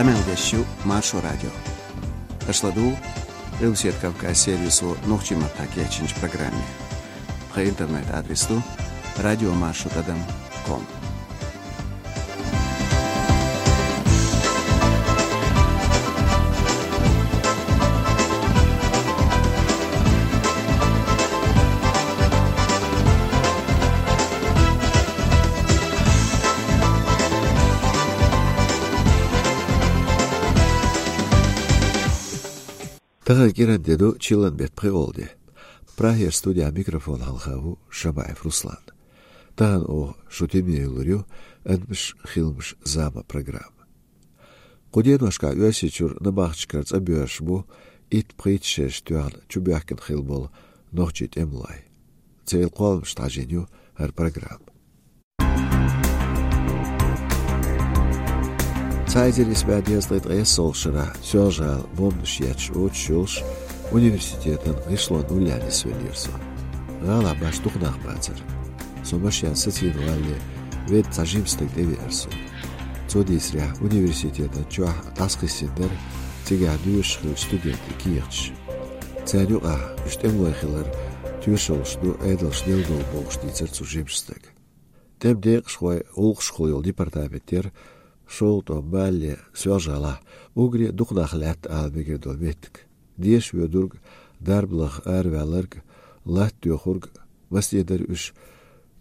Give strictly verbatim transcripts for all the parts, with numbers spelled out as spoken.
Къамел деш ю Маршо радио. Аша ладугӀу Къилбаседа Кавказ сервисо нохчийн маттахь кечйинчу программе. Тхан интернет-адрес ду радиомаршо тӀадам ком. Тахана кӀиран де ду, чиллан беттан пхиъолгӀа де. Прагера студехь микрофон хьалха ву Шамаев Руслан. Тахана оха шу тӀе ма еллур ю «Адамаш, хиламаш, зама» программа. Кху деношкахь Оьрсийчуьра набахташкара цӀа боьрзуш бу итт-пхийтта шераш тоьхна чубоьхкина хилла болу нохчийн тӀемалой. Церан кхолламашна хьажийна ю хӀара программа. Цхьа эзар исс бӀе дезткъе ткъайоьссалгӀачу шарахь Соьлжа-ГӀала бомбанаш етташ оццуш йолуш университетан гӀишлон уллехь нисвеллера со. ГӀалахь башха дукха нах бацара. Со машенца сацийна валале, ведда цхьа жима стаг тӀевеара суна. Цо дийцарехь, университетан чохь дӀасакхиссина дара цигахь доьшуш хиллачу студентийн кехаташ. Царна юкъахь уьш тӀемалой хилар тоьшаллаш ду, Ӏедалша делла долу бохуш дийцара цу жимачу стага. ТӀеман декъашхой гӀуллакхашкахула йолу департамент яра шолгӀа тӀом балале Соьлжа-ГӀалахь, уггаре а дукха нах лаьтта ала мегар долу меттиг. Деша воьдург, дарба лаха араваьлларг, латта доьхург, масане дара уьш,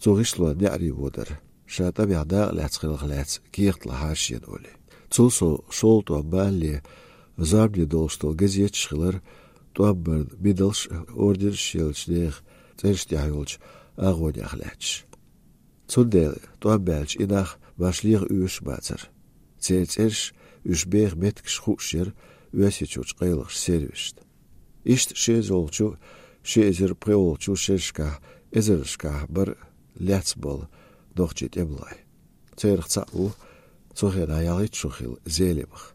цу гӀишлонан неӀаре вон дара, ша тӀамехь дакъа лаьцна хиларх лаьцна кехат лахьара шена олий. Цул сов шолгӀа тӀом балале зорбане долуш долу газеташ хилара тӀом баран медалш а, орденаш а еллачу нехан цӀераш тӀехь йолчу агӀонех лаьтташ. Цундела тӀом баьлча и нах башха леха оьшуш а бацара. Церан цӀераш, уьш беха меттигаш хууш яра Оьрсийчуьрчу къайлахчу сервисашна. Иштта ши эзарлагӀчу, ши эзар пхиъолгӀачу шерашкахь эзарнашкахь бара лаьцна болу нохчийн тӀемалой. Царах цхьаъ ву цу хенахь ялхитта шо хилла Зелимха.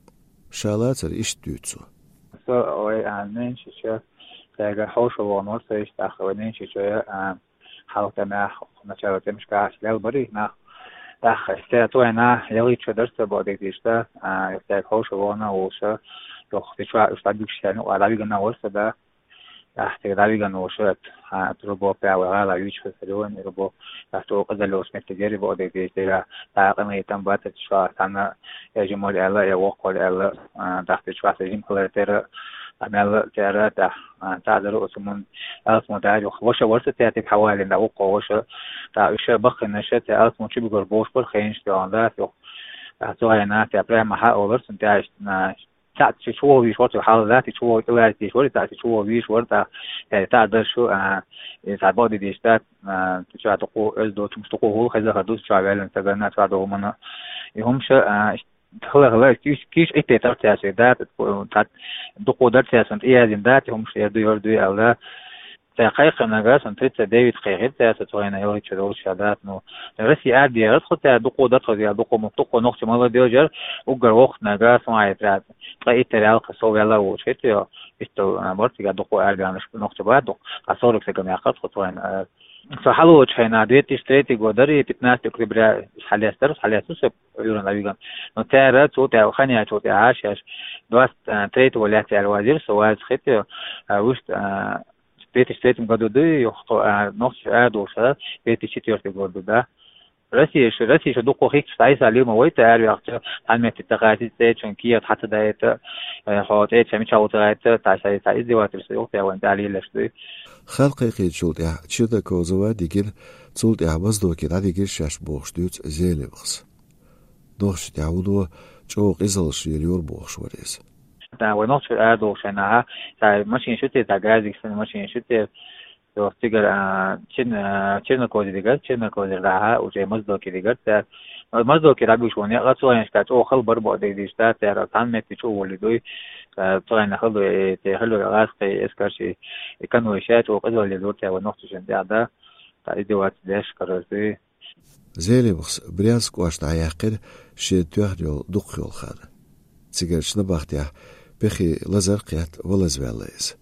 Ша лацар иштта дуьйцу цо. Со вай, а, ненан шича, тӀаьхьа хьошалгӀа вахана вара со иштта, тӀаккха вай ненан шича, а, хьалха тӀамехь, начало тӀемашкахь лелла бара и нах. ТӀаккха стеган цу хенахь ялхитта шо дара со боху дерг дийцича, а, стеган хьошалгӀа вахана а волуш, юха тӀе чохь уьш дӀабигча шена юкъа дӀавигина а вара со, да. ТӀаккха цига дӀавигина волуш, а, рубо пӀелг вай гӀала вийча хӀара районе, рубо, тӀаккха цо къизалла йолуш меттиг яра боху дерг дийцича, тӀаккха къинхетам бац, цу чохь цхьанна я жима вара аьлла, я воккха вара аьлла, а, тӀаккха цу чохь сан жима хилар тера, а, мелла а тера, тӀаккха, а, цхьаъ дара оцу мун, алсам дара юха. Ваша вара сан тера, цига хьавалийна дӀа воккха ваша, тӀаккха уьш баккхийнарш, тӀе алсам чу бигар бохуш бара хенаш тӀехула, да, юха. ТӀаккха цу хенахь тӀе прямо хьа а олура цунна тӀе, а, цхьаъ чу чувогӀу вийш вара, цу хьалха латта чувогӀу тӀе лаьцна вийш вара, тӀаккха чу чувогӀу вийш вара, тӀаккха, э, тӀаккха дара шу, а, и цхьа боху дийцича, тӀаккха, а, цу чохь дукха оьзда доцу, дукха хӀума хезна хир ду, цу чохь ваьллачу стагана, цу чохь долу хӀуманна. И хӀумаш, а, хила, хила, кийча, кийча Ӏиттайтара цаьршиъ, да, цхьа дукха дара цаьршинна тӀеяздина, да, и хӀумаш эр ду, эр ду, аьлла. Цара кхайкхинарг, сан тридцать девять кхайкхира цара, со цу хенахь ялхитта шо долуш ша дац, ну, Россия арадехира тхо, цара дукха дара тхо, я дукха ма, дукха нохча молодёжь яра, уггар воккха нага, сан айта, ткъа иттара ялх сов ваьлла а волуш хета, йо, иштта, а, бара цигахь дукха арадаьхнарш нохча бара, дукха, а, сорок стага ма яьккхира тхо цу хенахь, а. Со хьалаволчу хенахь, две тысячи третий год дара, пятнадцатого октября хьалаьцнера, хьалаьцна со Ӏуьйранна дӀавигна. Но цара цу тӀе, хан яьлчул тӀаьхьа шаьш двадцать третьего лаьцна аьлла вазийра со, ваза хета, а, вуьшта, а, две тысячи третьем году ду, юха тхо, а, нохчаш арадолуш, а, две тысячи четвёртый год ду, да. Россия шу, Россия шу дукха хӀитташ дӀасалийна ма вайта, араваьхча, цхьана метте тӀекхачийта, цӀечун кехат хьа ца даийта, э, хьо цӀеча мичахь ву ца гӀайта, цхьа шай, цхьа издевательство йолу тӀе вайн тӀе лелаш дуй. Хан кхайкхийначул тӀаьхьа Чернокозова дигира, цул тӀаьхьа Моздоке дӀадигира шаьш бохуш дуьйцу Зелимхас. Нохчашна тӀехь вуно чӀогӀа къизаллаш лелайора бохуш вара иза. ТӀаккха вай нохчий арадолуш хенахь, цхьа машина ю те, цхьа газик санна машина ю те, цо цигара, а, Чер-, а, Чернокозера дигара, Чернокозера дӀахьа, уже Моздоке дигара цара. Моздоке дӀабуьгуш ву некъа, цу хенашкахь чӀогӀа хала бара боху дерг дийцича, цара цхьана метте чу а воллий дуй, а, цу хенахь хала ду, э, те хала ду, гӀазкхий эскарш, и конвой ша чӀогӀа къизалла лелайора цара вай нохчашна тӀехь, да, цхьа издевательство деш карара дуй. Зелимхас Брянск кӀоштан дӀаяьккхира шена тоьхна йолу дукхахйолу хан. Цигарчу набахтехь пехи лазар а кхетта, валазваьлла иза.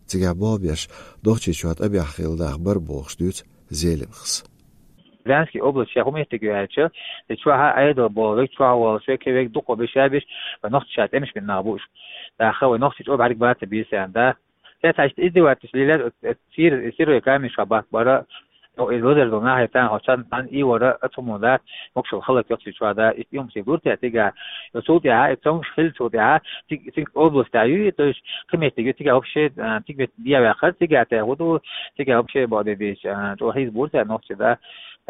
Цигахь болх беш Нохчийчохь тӀабехь хилла нах бара бохуш дуьйцу Зелимхас. Брянский область ша хӀун меттиг ю аьлча, и чохь а Ӏедал болу вег, чохь волуш вег, кхин вег дукха беш а беш, вай нохчаша тӀемаш бина нах бу уьш. ТӀаккха вай нохчий чӀогӀа бӀаьрг бацар бийса аьлла, да. Те цхьа иштта издевательство лелар, э, э, сир-, сирой камешка бат бара, ну, и лазар долу нахе тан, хьо цан, цан и вара, а цу мула дац, мокшал халак йоккхий чохь да, и юм сий лур те тига, и цул тӀаьхьа, и цомгуш хилла цул тӀаьхьа, циг, циг область а ю, то есть, кхин меттиг ю, тига вообще, а, циг меттиг диа ваьккхар, тига те хӀун ду, тига вообще боху де дийш, а, чӀогӀа хьийза бур те нохчий да,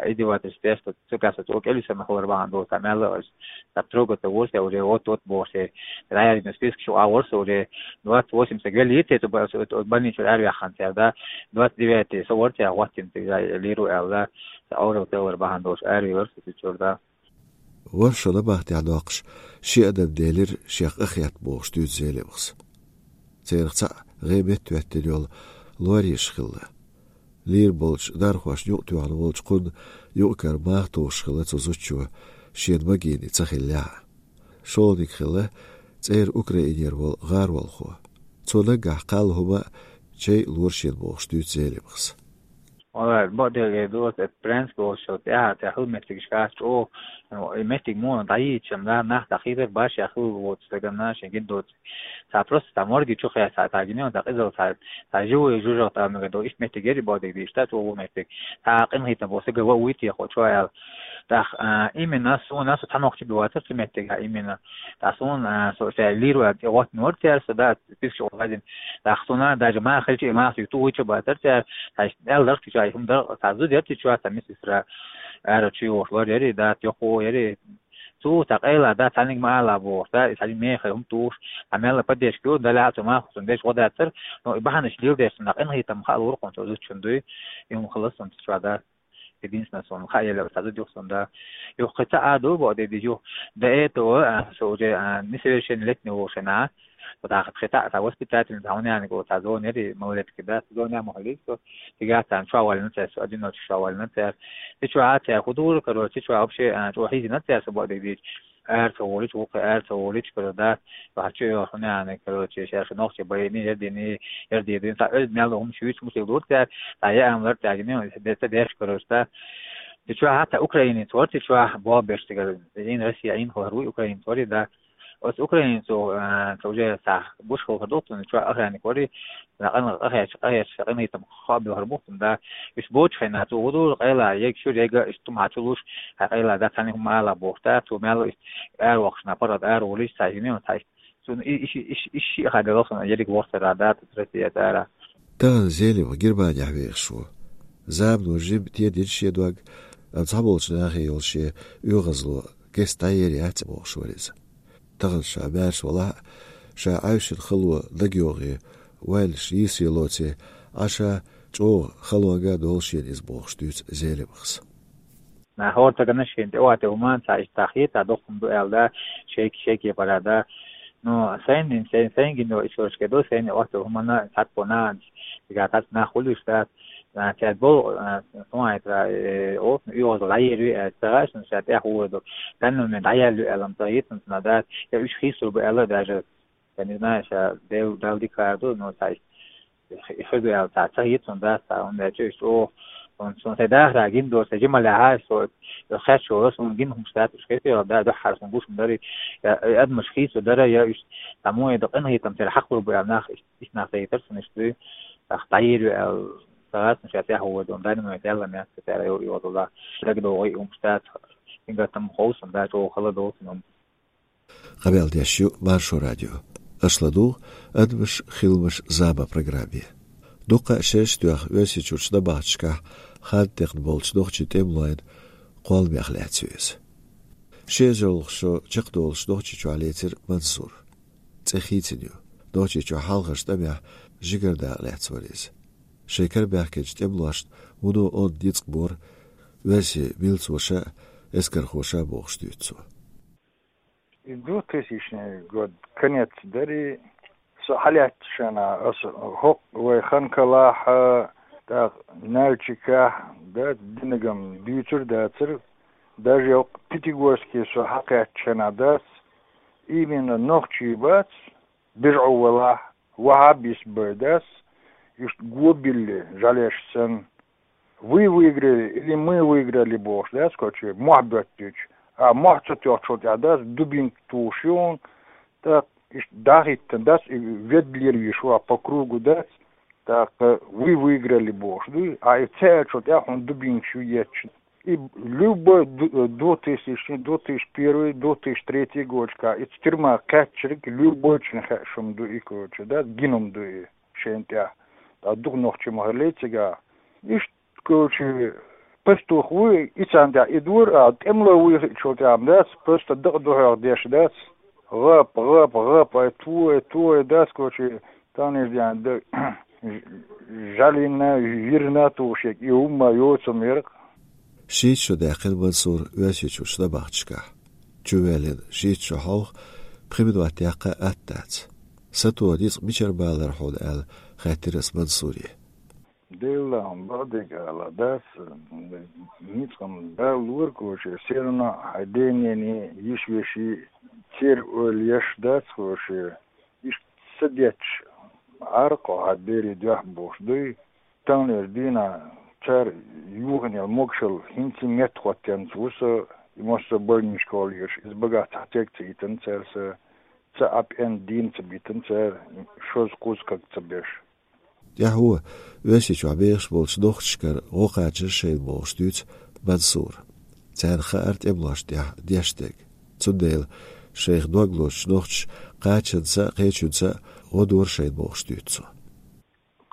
издевательство тешта, цигахь со цо кӀелвисарна хилар бахьана долуш, цхьа мелла а аш, цхьа трогать а вур те уже, вот, вот бохуш те, дӀаяьллина список чу а вур со уже, двадцать восемь стаг веллий те, цу ба-, цу, цу больницу араваьккхина цара, да, двадцать девятый со вар те, хӀоттийна цига лийр ву аьлла, цхьа Ӏожалла тӀе валар бахьана долуш, араваьллар со цу чуьра, да. ВорхӀ шо набахтехь доккхуш, ши адам делира шех къахетта бохуш дуьйцу Зелимхас. Церах цхьаъ гӀе метта хӀоьттина йолу лоьраш хилла. Лийр болчу дархошна юкъатоьхна волчу кхунна юкъ-кара маха тухуш хилла цу зудчо, шена магийна ца хиллехь а. ШолгӀаниг хилла цӀера Украинера волу гӀаролхо. Цо наггахь кхалла хӀума а, чай а лора шена бохуш дуьйцу Зелимхас. Валлай, бакъдерг ду, оцу Брянск волчу тӀаьхьа, тӀаьхьа хӀума меттигаш хӀара чӀогӀа, ну, и меттиг муха дӀайийцича-м, нах дӀахийдар башха хилла воцу стагана, шен гина доцу. Цхьа просто цхьа морги чу хеца, цхьа гина, цхьа къизалла, цхьа, цхьа живой жужахат а мегар ду, иштта меттиг яри бакъдерг дийш, цхьа чӀогӀа меттиг. Цхьа къинхетам бо стага ван вуй техьа чу аьлла. ТӀаккха, а, именно суна, со цхьа нохчи бу вацара цу меттигахь, именно. ТӀаккха суна, а, со ша лийр ван тӀе гӀоттина вара цара, со, да, список чу вазина. ТӀаккха суна даже маха хилча, и маха суьйта вуй чу бацара цара, цхьа аьлла дарх тӀе чу, хӀума дарх, цхьа зуда яра тӀе чу, цхьа мисисра, ара чу йогӀуш лор яри, да, йоккхо яри. Цо цхьа къайла, да, цхьаьнниг ма ала бохуш, да, и цхьа меха хӀума тухуш, а мелла поддержка ю, далла а цу маха цунна деш гӀо дацара, но и бахьанаш леладеш цунна къинхетам хаа лур кхунна цо зудчун дуй, и хӀума хилла цунна цу чохь, да. Единственное, суна хаа елла цхьа зуда ю-кх суна, да. Юха кхин цхьа а ду, бакъдерг дийш, юха до этого, а, со уже, а, несовершеннолетний волу шена, вот, а, кхин цхьа а, цхьа воспитательница, хьуна яьнниг, вот, цхьа зона яри, малолетки, да, зона ян ма хилийта со, тӀаккха царна чохь валлина цара, со одиночка чохь валлина цара. Цу чохь а цара хӀун дура, короче, цу чохь вообще, а, чӀогӀа хьийзина цара со, бакъдерг дийш. Ара ца волуьйтуш, вукхе ара ца волуьйтуш, короче, да, вахча йоху нана, короче, ша шу нохчи байини, ярдини, ярдини, цхьа оьзда мел хӀума шуьйцу мусил дур цара, цхьа яа лар тӀаьхьа, де-, ца деш, короче, да. Цу чохь хӀатта украинец вара, цу чохь боху беш цигара, Ӏийна Россия, Ӏийна хилар вуй украинец вари, да. Оцу украинецо, а, ца уже цхьа гуш хилхар ду, цунна чохь охранник вари, Къа-, къахеташ, къахеташ, къинхетам хаа бохур бу-кх цунна, да. Уьш боцучу хенахь цо хӀун ду, къайла, ега чуьра, ега, иштта хӀума хьан чу луш, хьайн къайла, да, цхьаьнниг хӀума ала бохуш, да, цо мел иштта аравоккхуш, нах паргӀат ара волуш, цхьа жиме, цхьа иштта. Цунна и-, и ши-, и ши-, и шиъ хьан делла хьуна, ерриг вохсар, да, цу Россия цара. Тахана Зелимха Германехь вехаш ву. Замано жимма тедина шен дог, амма цхьаболчу нахе йолу шен оьгӀазло геста дӀаер яц бохуш вара иза. Тахана ша маьрша валахь а, ша Ӏаьвшина хало дагайогӀий, ойланаш йийсаре лоций, Ӏаш а чӀогӀа халонга а долу шена иза бохуш дуьйцу Зелимхас. Нах хӀора стагана шена тӀе а тӀе хӀума цхьа иштта хета, доккха хӀума ду аьлла, да, шайга, шайга пара, да. Ну, сайна, сайн, сайн гина история ду, сайна а тӀе хӀуманна цхьацца нах, цигахь цхьацца нах хуьлуш дац, а, цаьрга болу, а, сумайтра, э, оцу оьгӀазло дӀаер ю аьлла, ца гӀаш, ша тӀаьхьа хӀора ду. Данный момент дӀаяьлла ю аьлла, ца йитина цунна дац, я уьш хийцалур бу аьлла даже, я не знаю, ша Дел-, Далла дика хӀара ду, но ца хи-, хир ду аьлла, ца, ца йитина дац, ца, хӀунда аьлча уьш чӀогӀа, хӀунда суна сайн дахарехь гина дора, сайн жималехь а, со, со херчо, суна гина хӀумаш дац, уьш хетийла, да, дуьххьара суна гуш ма дарий, я, я адамаш хийцалур дара, я уьш, ца муха ду, къинхетам тера хьакхалур бу аьлла нах, Иштта нах дайтар цунна иштта дуй, тӀаккха дӀаер ю аьлла, ца гӀаш, ша тӀаьхьа хӀора ду, данный момент аьлла меттиг цара йо-, йодала. ДагадогӀий хӀумаш дац, цуьнгара там ховсун дац, чӀогӀа хала долу цунна. Къамел деш ю Маршо радио. Аша ладугӀу «Адамаш, хиламаш, зама» программе. Дуккха а шераш а тоьхна Оьрсийчуьрчу набахташкахь хаддехна болчу нохчийн тӀемалойн кхолламех лаьцна ю иза. Ши эзарлагӀа шо чекхдолуш Нохчийчохь лецира Мансур. ЦӀе хийцина ю. Нохчийчохь хьалхарчу тӀамехь жигара дакъа лаьцна вара иза. Шайн кара баьхкинчу тӀемалошна вуно онда ницкъ бора оьрсийн милцоша а, эскархоша а бохуш дуьйцу цо. И двухтысячный год, конец дари, со хьалаьцначу шена, аса хӀокху вай Ханкалахь а, тӀаккха Нальчикехь а, да, динагам дуьйцур а дацара, даже йоккха Пятигорске со хьакхаьчначу шена дац, именно нохчий бац, бежӀо валахь, вахьабис бай дац, иштта го билли, жӀаьлеш санна. Вы выиграли или мы выиграли бохуш дац, короче, мохь боьттуьйтуш. А мохь ца тоьхначул тӀехь дац, дубинка тухуш ю хьуна, тӀаккха иштта дӀахӀиттина дац, и ведда лелавеш ву, а по кругу дац, тӀаккха вы выиграли бохуш ду, а и ца аьллачул тӀехь хьуна дубинкаш ю етташ. И любой ду-, двухтысячный, две тысячи первый, две тысячи третий годашкахь, и тюрьма кхаьчнарг любой чуьнан хууш хӀума ду и, короче, дац, гина хӀума ду и шайна тӀехь. ТӀаккха дукха нохчий ма хиллий цигахь. Иштта короче, пастух вуй, и царна тӀехь и дора, а тӀемло вуй хиъчул тӀехь дац, просто дакъа духьех деш дац. ГӀап, гӀап, гӀап, ай, ту, ай, ту, ай, дац, короче, таниш дян, да, жӀалина, вирна тухуш, и хӀумма йоцу мерах. Шийтта шо даьккхина Мансур Оьрсийчуьрчу набахташкахь. Чуваьллина шийтта шо хьовха, пхи минот яккха атта дац. Сатоха ницкъ мичара балара хьуна аьлла, хаьттира ас Мансуре. Делахь, бакъдерг ала дац, ницкъ-м Дала лору, короче, все равно хьайн дений, йиш-веший церан ойла еш дац, короче, иштта са детташ Ӏара-кх хьо хьайн берийн дуьхьа бохуш дуй. Таханлерчу дийнахь цара юханел могушалла хӀинца а меттахӀоттаенца ву со, и массо а больничках лелаш, иза багахь цхьа стаг ца йитина цара сан, цхьа а пӀенна дийна ца битина цара, шозза-кхузза каг ца беш. ТӀаьхьо Оьрсийчохь бехаш болчу нохчашкара гӀо кхачар шайна бохуш дуьйцу Мансура. Царна хаьара тӀемалошна тӀехь деш дерг. Цундела шайх дог лозучу нохчаша кхачанца а, кхечуьнца а гӀо дора шайна бохуш дуьйцу цо.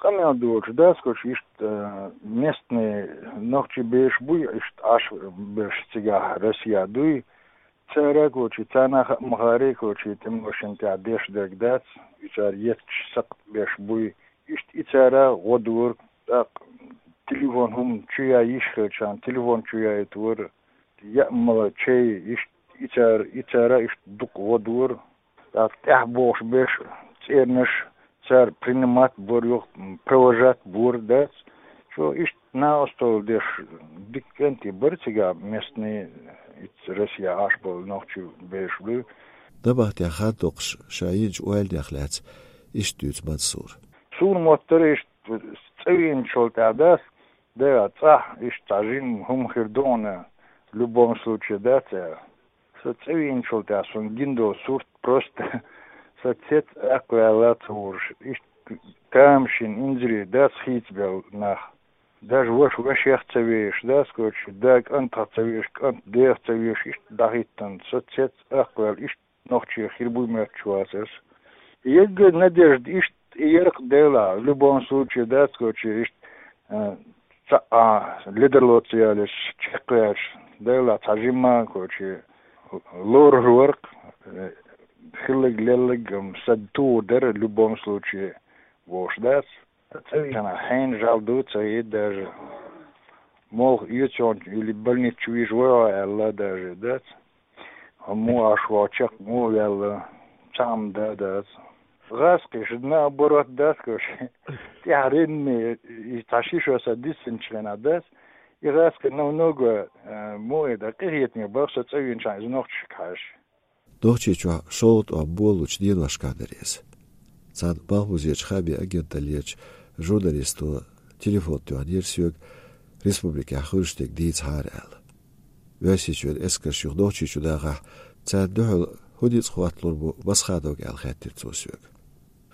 Къамел доцуш дац, короче, иштта, э, местный нохчий бераш буй, иштта Ӏаш берш цигахь Россехь дуй. Цара, короче, царна а хаьа ма хаьарий, короче, тӀемалошна тӀехь деш дерг дац, и цара етташ сакхт берш буй. Иштта и цара гӀо дора, тӀаккха телефон хӀума чу ян йиш хилчарна, телефон чу яйта вара, яа мала чай, иштта и цара, и цара иштта дукха гӀо дора. ТӀаккха тӀаьхьа бохуш берш, цӀернаш, цара принимать бора юха, провожать бора дац. Чо иштта накъосталла деш дика кӀентий бара цигахь местный, ицца Россехь Ӏаш болу нохчий бераш буй. Набахтехь хан доккхуш ша йинчу ойланех лаьцна иштта дуьйцу Мансура. Суна моттара иштта цӀа вийначул тӀехь дац, да, цӀахь иштта цхьа жима хӀума хир ду хьуна, в любом случае, дац аьлла. Со цӀа вийначул тӀехь суна гина долу сурт просто сан цец акхваьлла ца хууш, иштта тамашийна инзаре дац хийцабелла нах. Даже ваша вашех ца вешаш, дац, короче, да кӀантах ца вешаш, кӀант дех ца вешаш, иштта дӀахӀиттина, со цец акхваьлла, иштта нохчех хир буй моьттуш вацара со. Егга надежда иштта и яра-кх Делахь, в любом случае, дац, короче, иштта, э, цхьа а ледарло ца ялеш, чекхваьлча, Делахь цхьа жимма, короче, лорур вара-кх, э, хилларг-лелларг-м сан тугӀу дара, в любом случае, бохуш дац. ЦӀа вийча хьенан жӀаьла ду ца хета даже. Молха оьцу хьуна или больница чу вижа вай хьо аьлла даже дац. Хьо муха Ӏаш ву, чекх муха ваьлла, цхьа а ма дац. ГӀазкхаша наоборот дац, короче. ТӀаьхьаренна и цхьа ши шо сан диссинчу хенахь дац. И гӀазкхи намного, э, муха и дан, къинхетаме бара со цӀа вийначхьана иза нохчашка хьаьжча. Нохчийчохь шолгӀа тӀом болалучу деношкахь дара иза. Цхьана Малхбузерчу хаамийн агенталлерчу журналисто телефон тоьхнера соьга, республикехь хуьлуш дерг дийцахьара аьлла. Оьрсийчоьнан эскарш юха Нохчийчу дахахь, царна дуьхьал хӀун ницкъ хӀотталур бу Масхадовга аьлла хаьттира цо соьга.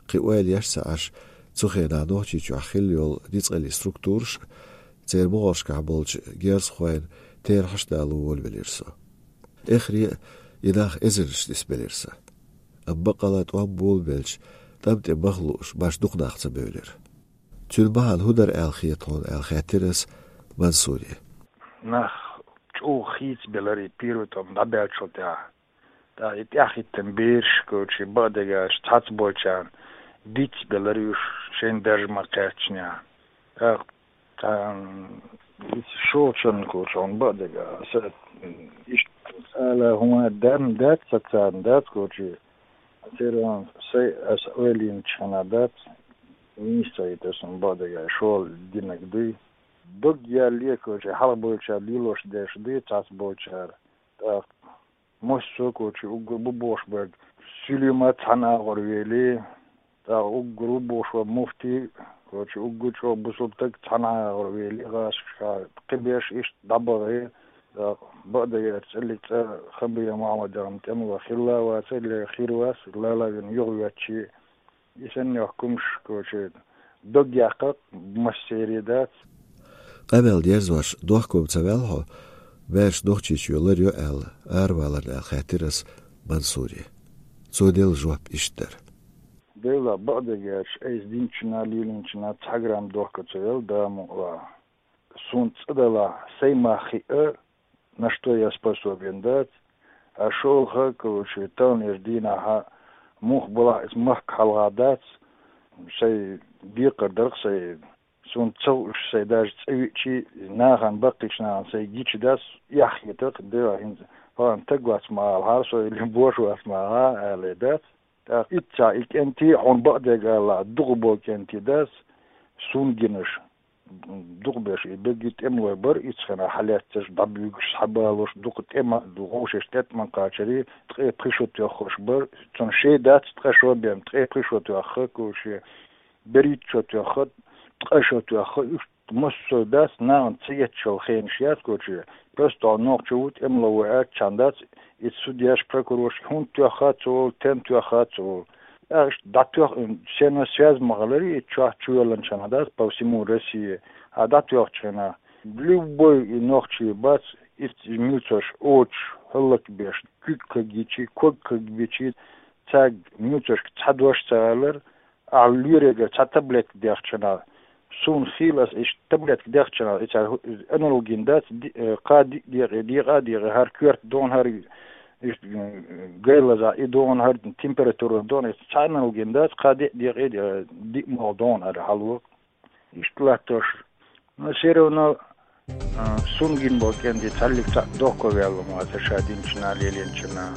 Кхин ойла еш ца Ӏаш, цу хенахь Нохчийчохь хилла йолу ницкъаллин структураш а, церан могӀаршкахь болчу герзахойн терахьаш а далор волавелира со. Эххаре а и нах эзарнаш нисбелира сан. Амма баккъалла тӀом болабелча, тӀам тӀе маха лууш, баш дукха нах ца бевлира. Цуьнан бахьана хӀун дара аьлла хета хьуна аьлла хаьттира ас Мансуре. Нах чӀогӀа хийцабелира и первый тӀом дӀабаьллачул тӀаьхьа. ТӀаккха и тӀаьхьахӀиттина бераш, короче, бакъдерг аьлча, цхьацца болчарна диц белира уьш, шайна даржа ма кхаьчнехь. ТӀаккха цхьана иза шолгӀачарна, короче, хьуна бакъдерг аьлча, аса иштта ала хӀума дан дац сан царна, дац, короче, церан сай аса ойла йинчхьана дац, нийса ца хета аса хӀума бакъдерг аьлча, шолгӀа динарг дуй. Дог яьлле, короче, хьалха болчара лелош дерш дуй, цхьацца болчара. ТӀаккха массо а, короче, уггар бу бохуш берг Сулейма цхьана агӀор вели, тӀаккха уггар ву бохуш ван муфти, Короче, уггар чӀогӀа бусалба стаг цхьана агӀор вели гӀашка кхибеш иштта дӀабахе, бакъдерг аьлча, цӀиллиг цӀа Хамбиев Мухьаммадера тӀемало хилла а вац, ле хир вац, лала вина юхавеччи, и санна йохкумаш, короче, дог яккха массерий дац. Къамел дерзош дохком ца ваьлла хьо, маьрша Нохчийчоь ларйо аьлла, араваларна аьлла хаьттира ас Мансуре. Цо делла жоп иштта дара. Дела, бакъдерг аьлча, айса динчунна, лелинчунна цхьа грамм дохко ца велла, да мукъа. Суна цӀа далахь, сай мах хиъа, на что я способен дац. А шолха, короче, таханарча дийнахьа муха балахь а из махка хьалха дац, сай декхар дарх сай, суна ца хууш сай даже цӀа виъчи, нахана баккхийча нахана сай гича дац, эхь хетарх, дела хӀинца, палан таг вац ма алахьара со, или бош вац ма аьле дац. ТӀаккха итт сахь и кӀентий, хьуна бакъдерг алалахь, дукха бо кӀентий дац, сунна гинаш. Дукха беш и бегги тӀемалой бар, ицхена хьалаьццаш, дӀабуьгаш, схьабалош, дукха тӀема, вовшашта тӀетӀа ма кхачарий, ткъе пхи шо тоьххаш бар, цунна шей дац, ткъа шо бен, ткъе пхи шо тоьхха, короче, берхӀитта шо тоьхха, ткъа шо тоьхха, уьш массо а дац, нахана ца етташ йола хенаш яц, короче, просто нохчо ву, тӀемало ву аьлча дац, и судьяш, прокурорш хӀунда тоьххац олу, тен тоьххац олу. ТӀаккха иштта дӀатоьхна, сенна связь ма хиларий, и чохь чувелланчарна дац по всему России. А дӀатоьхначу хенахь, любой и нохчий бац, и милцош оцуш, хӀаллакбеш, куьг кагйичи, ког кагбичи, цаьрга милцошка цхьа дош ца алар, ахьа лоьрегара цхьа таблетка дехчана, суна хийла ас иштта таблетка дехчана, и цара аналгин дац, ди-, э, кхаа диъ декъе, декъа а декъе, хӀара коьрта догӀна, хӀара иштта, э, гай лазахь и догӀна, хӀара температура догӀна, и цхьа аналгин дац, кхаа диъ декъе, э, диъ могӀа догӀна хӀара хьало. Иштта латтош. Но всё равно, а, сунна гина болу кӀентий цхьаллиг цхьаъ дохко ваьлла ма вац ша динчунна, лелинчунна.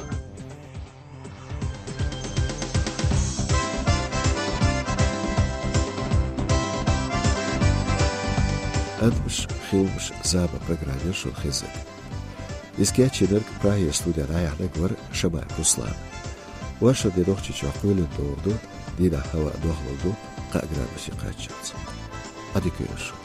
Адамаш, хиламаш, зама программера шуна хезира. Иза кечйинарг, Прагера студехь дӀаяьхьнарг вара Шамаев Руслан. Оршот де Нохчийчохь кхоьлина догӀа ду, дийнахь хӀаваъ дохлур ду, кхаа градусе кхаччалц. Ӏадика йойла шун.